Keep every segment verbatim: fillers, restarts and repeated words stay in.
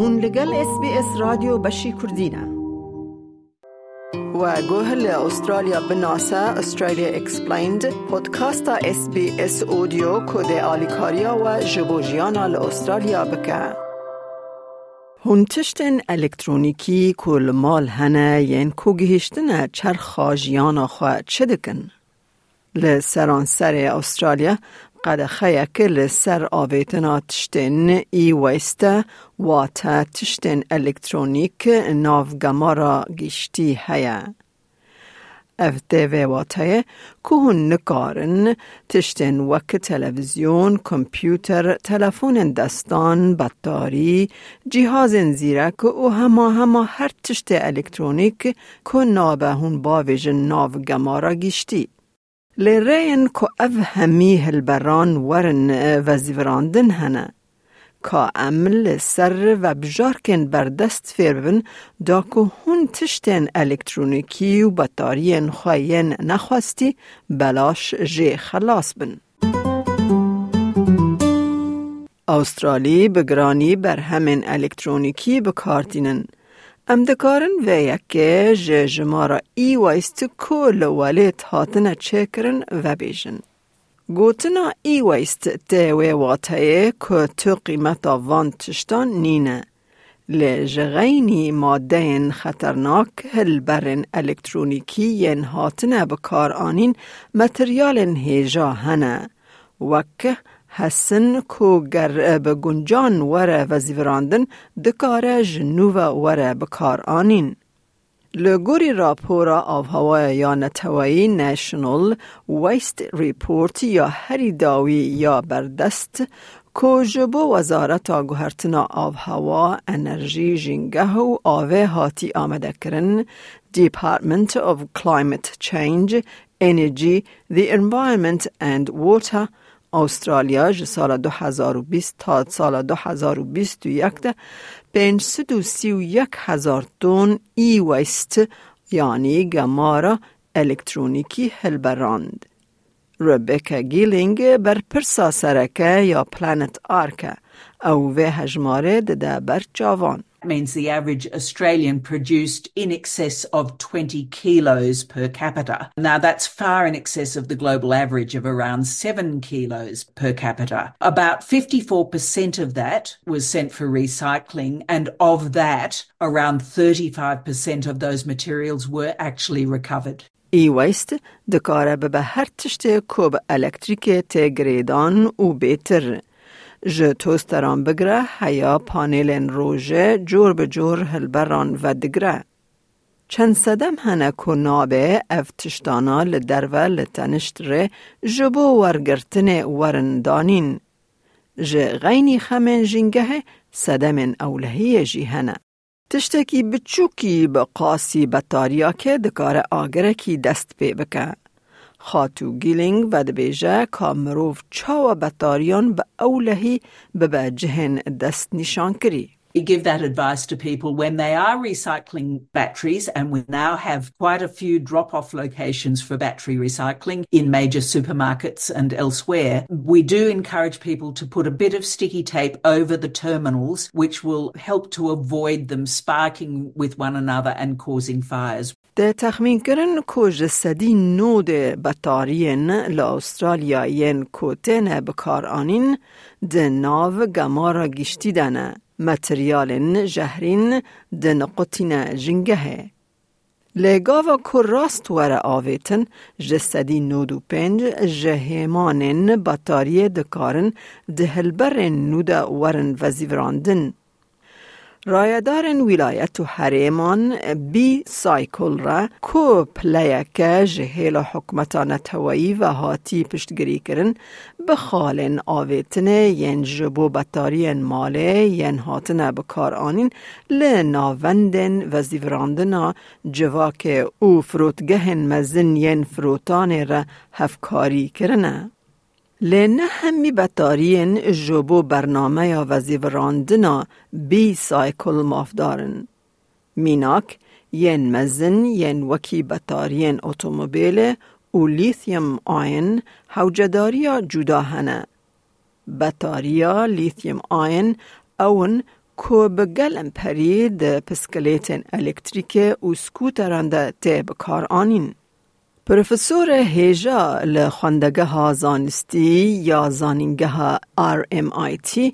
Hûn li gel S B S Radyo Beşî Kurdî ne. We guh li Australya binase, Australia Explained, podcasta S B S Audio ku dê alîkariya we ji bo jiyana li Australya bike. Hûn tiştên elektronîkî ku li mal hene yên ku gihiştine çerxa jiyana xwe çi dikin? Li seranserê Australya qedexeyek li ser avêtina tiştên e-waste, wate tiştên elektronîk, nav gemara giştî heye. Ev tê vê wateyê ku hûn nikarin tiştên wek televîzyon, kompûter, telefonên destan, betarî, cîhazên zîrek û hema hema her tiştê elektronîk ku nabe hûn bavêjin nav gemara giştî. Lê rêyên ku ev hemî hilberan werin, e, vezîvirandin hene. Ka em li ser vebjarkên berdest fêr bibin, da ku hûn tiştên elektronîkî û betariyên xwe yên nexwestî belaş jê xelas bin. Australî bi giranî berhemên elektronîkî bi kar tînin. Em dikarin vê yekê ji jimara e-waste ku li welêt hatine çêkirin vebêjin. Gotina e-waste tê wê wateyê ku tu qîmeta van tiştan nîne. Lê ji xeynî madeyên xeternak, hilberên elektronîkî yên hatine bi kar anîn, materyalên hêja hene. Wek hesin ku ger bi guncan were vezîvirandin, dikare ji nû ve were bi kar anîn. Li gorî rapora avhewaya ya neteweyî National Waste Report ya herî dawî ya berdest, ku ji bo Wezareta Guhertina Avhewa, Enerjî, Jîngeh û Avê hatî amadekirin, Department of Climate Change, Energy, the Environment and Water, Australya ji sala du hezar û bîst ta sala du hezar û bîst û yek de pênc sed û sî û yek hezar ton e-waste, yanî gemara elektronîkî hilberand. Rebecca Gilling berpirsa sereke ya Planet Ark e. Ew vê hejmarê dide ber çavan. Means the average Australian produced in excess of twenty kilos per capita. Now, that's far in excess of the global average of around seven kilos per capita. About fifty-four percent of that was sent for recycling, and of that, around thirty-five percent of those materials were actually recovered. E-waste dikare bibe her tiştê ku bi elektrîkê tê girêdan û bêtir. Ji tosteran bigire heya panelên rojê cor bi cor hilberan vedigire. Çend sedem hene ku nabe ev tiştana li derve li tenişt rê ji bo wergirtinê werin danîn. Ji xeynî xemên jîngehê sedemên ewlehiyê jî hene. Tiştekî biçûkî bi qasî betariyakê dikare agirekî dest pê bike. Xatû Gilling vedibêje ka mirov çawa betariyan bi ewlehî bibe cihên destnîşankirî. We give that advice to people when they are recycling batteries, and we now have quite a few drop off locations for battery recycling in major supermarkets and elsewhere. We do encourage people to put a bit of sticky tape over the terminals, which will help to avoid them sparking with one another and causing fires. Tê texmînkirin ku ji sedî nodê betariyên li Australya yên ku têne bikaranîn di nav gemara giştî de ne, materyalên jehrîn di niqutîne jingehê. Lê gava ku rast were avêtin, ji sedî nod û pênc ji hêmanên betariyê dikarin di hilberên nû de werin vezîvirandin. Rayedarên wîlayet û herêman B-Cycle re, ku pileyeke ji hêla hikûmeta neteweyî ve hatî piştgirîkirin, bi xalên avêtinê yên ji bo betariyên malê yên hatine bikaranîn li navendên vezîvirandina civakê û firotgehên mezin yên firotanê re hevkarî kirine. Lê ne hemî betariyên ji bo bernameya vezîvirandina B-Cycle mafdar in. Mînak, yên mezin yên wekî betariyên otomobîlê û lithium ion hewcedariya cuda hene. Betariya lithium ion ew in ku bi gelm perî di piskilêtên elektrîkê û skûteran de tê bikaranîn. Profesorê hêja li xwendegeha zanistî ya zanîngeha R M I T,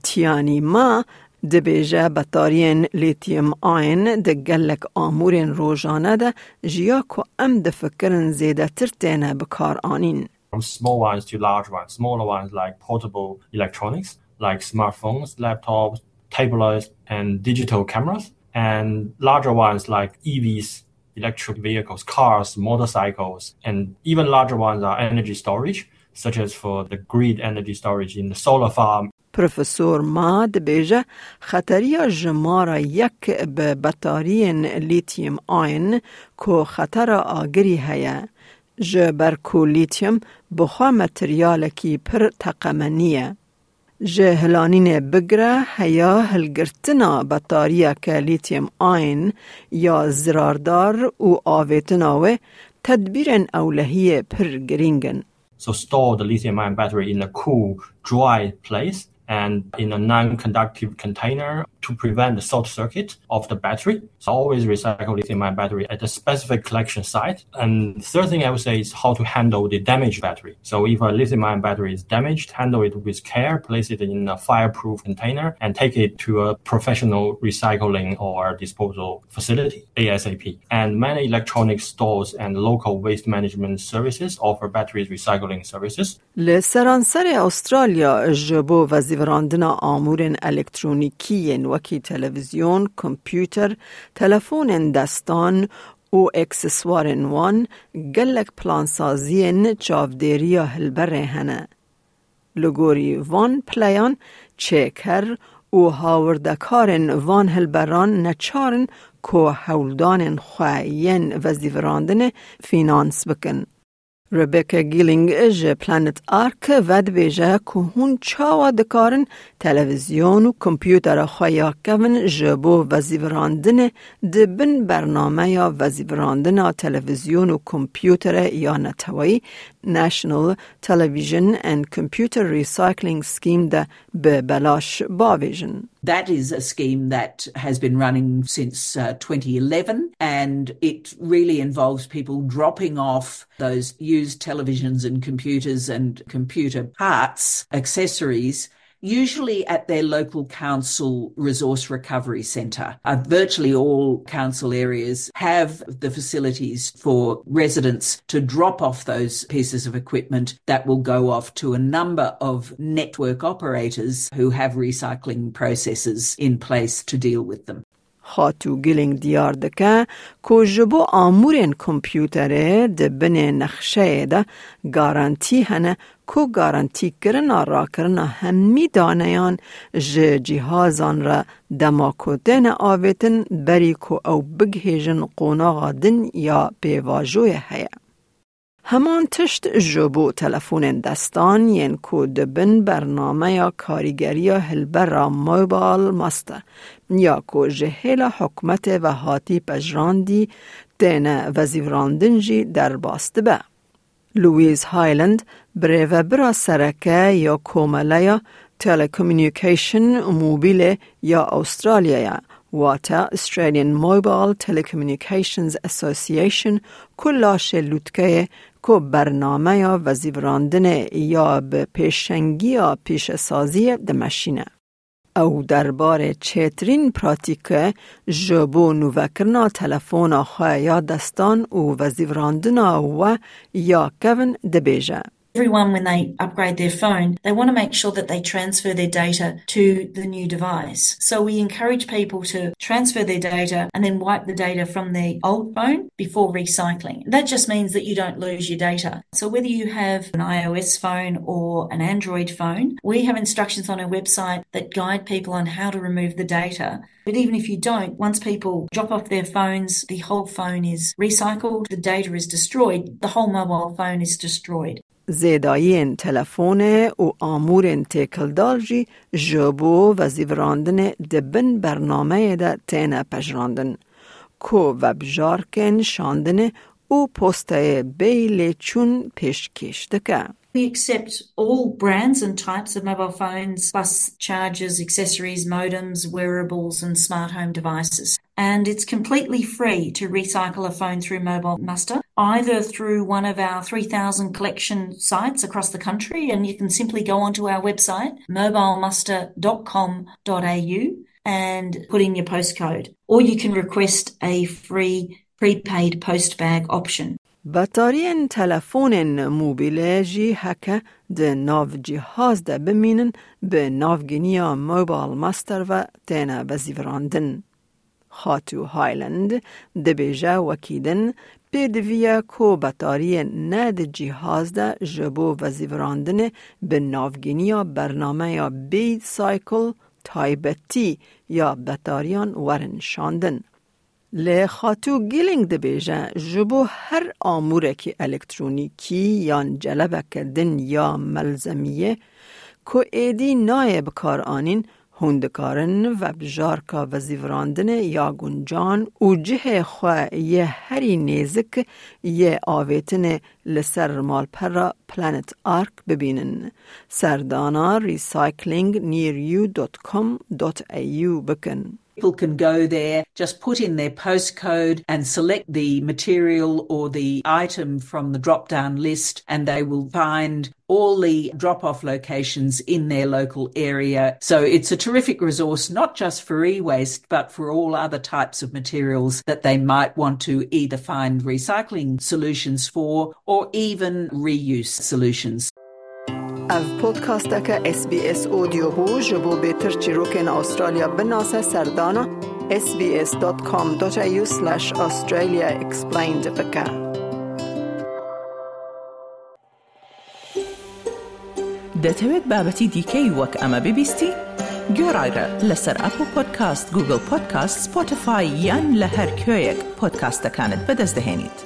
Tianyi Ma, dibêje betariyên lithium ion di gelek amûrên rojane de ji ya ku em difikirin zêdetir têne bikaranîn. From small ones to large ones, smaller ones like portable electronics, like smartphones, laptops, tablets, and digital cameras, and larger ones like E Vs, electric vehicles, cars, motorcycles, and even larger ones are energy storage, such as for the grid energy storage in the solar farm. Profesor Ma dibêje, xeteriya jimara yek bi betariyên lithium ion ku xetera agirî heye, ji ber ku lithium bi xwe materyalekî pir teqemenî ye. Ji hilanînê bigire heya hilgirtina betariyeke lithium ion ya zirardar û avêtina wê tedbîrên ewlehiyê pir girîng in. So store the lithium ion battery in a cool, dry place and in a non-conductive container to prevent the short circuit of the battery. So always recycle lithium ion battery at a specific collection site. And third thing I would say is how to handle the damaged battery. So if a lithium ion battery is damaged, handle it with care, place it in a fireproof container, and take it to a professional recycling or disposal facility ASAP. And many electronic stores and local waste management services offer batteries recycling services. Li seranserê Australya ji bo vezîvirandina amûrên elektronîkî yên wekî televîzyon, kompûter, telefonên destan û ekseswarên wan gelek plansaziyên çavdêriya hilberê hene. Li gorî van pileyan çêker û hawirdekarên van hilberan neçar in ku hewldanên xwe yên vezîvirandinê fînans bikin. Rebecca Gilling ji Planet Ark vedibêje ku hûn çawa dikarin televîzyon û kompûtera xwe ya kevin ji bo vezîvirandinê di bin bernameya vezîvirandina televîzyon û kompûterê ya neteweyî, National Television and Computer Recycling Scheme, de bi belaş bavêjin. That is a scheme that has been running since, uh, twenty eleven, and it really involves people dropping off those used televisions and computers and computer parts, accessories, usually at their local council resource recovery centre. Uh, virtually all council areas have the facilities for residents to drop off those pieces of equipment that will go off to a number of network operators who have recycling processes in place to deal with them. Xatû Gilling diyar dike ku ji bo amûrên kompûterê di binê nexşeyê de garantî hene ku garantîkirina rakirina hemî daneyan ji cîhazan re dema ku têne avêtin berî ku ew bigihêjin qonaxa din ya pêvajoyê heye. Heman tişt ji bo telefonên destan yên ku di bin bernameya karîgeriya hilbera Mobile Master ya ku ji hêla hikûmetê ve hatî pejirandî têne vezîvirandin jî derbas dibe. Louise Hyland, birêvebira sereke ya Komeleya Telecommunication Mobile ya Australyayê, wate Australian Mobile Telecommunications Association, ku laşê lûtkeyê ku bernameya vezîvirandinê ya bi pêşengiya pîşesaziyê dimeşîne. Ew derbarê çêtirîn pratîke ji bo nûvekirina telefona xwe ya destan û vezîvirandina we ya kevin dibêje. Everyone, when they upgrade their phone, they want to make sure that they transfer their data to the new device. So we encourage people to transfer their data and then wipe the data from their old phone before recycling. That just means that you don't lose your data. So whether you have an iOS phone or an Android phone, we have instructions on our website that guide people on how to remove the data. But even if you don't, once people drop off their phones, the whole phone is recycled, the data is destroyed, the whole mobile phone is destroyed. Zêdayiyên telefonê û amûrên têkildar jî ji bo vezîvirandinê di bin bernameyê de têne pejirandin, ku vebjarkên şandinê û posteyê bêyî lêçûn pêşkêş dike. We accept all brands and types of mobile phones, bus chargers, accessories, modems, wearables, and smart home devices. And it's completely free to recycle a phone through Mobile Muster, either through one of our three thousand collection sites across the country, and you can simply go onto our website, mobile muster dot com dot a u, and put in your postcode, or you can request a free prepaid post bag option. Betariyên telefonên mobîlê jî heke di nav cîhaz de bimînin, bi navgîniya Mobile Muster ve têne vezîvirandin. Xatû Hyland dibêje, wekî din pêdiviye ku betariyên ne di cîhaz de ji bo vezîvirandinê bi navgîniya bernameya Beat Cycle taybetî ya betariyan werin şandin. Lê Xatû Gilling dibêje, ji bo her amûrekî elektronîkî yan celebeke din ya melzemiyê ku êdî nayê bikaranîn, hûn dikarin vebjarka vezîvirandinê ya guncan û cihê xwe yê herî nêzik yê avêtinê li ser malpera Planet Ark bibînin. Serdana recycling near you dot com dot a u bikin. People can go there, just put in their postcode and select the material or the item from the drop down list, and they will find all the drop off locations in their local area. So it's a terrific resource, not just for e waste, but for all other types of materials that they might want to either find recycling solutions for or even reuse solutions. Ev podcasteke S B S Audio bû. Ji bo bêtir çîrokên Australya binase, serdana S B S dot com dot A U slash Australia explained bike. دەتەوێت بابەتی دیکەی وەک ئەمە ببیستی؟ گوێڕایرە لەسەر ئەپڵ پۆدکاست، گوگڵ پۆدکاست، سپۆتیفای یان لە هەر کوێیەک پۆدکاستەکانت بەدەست دەهێنیت.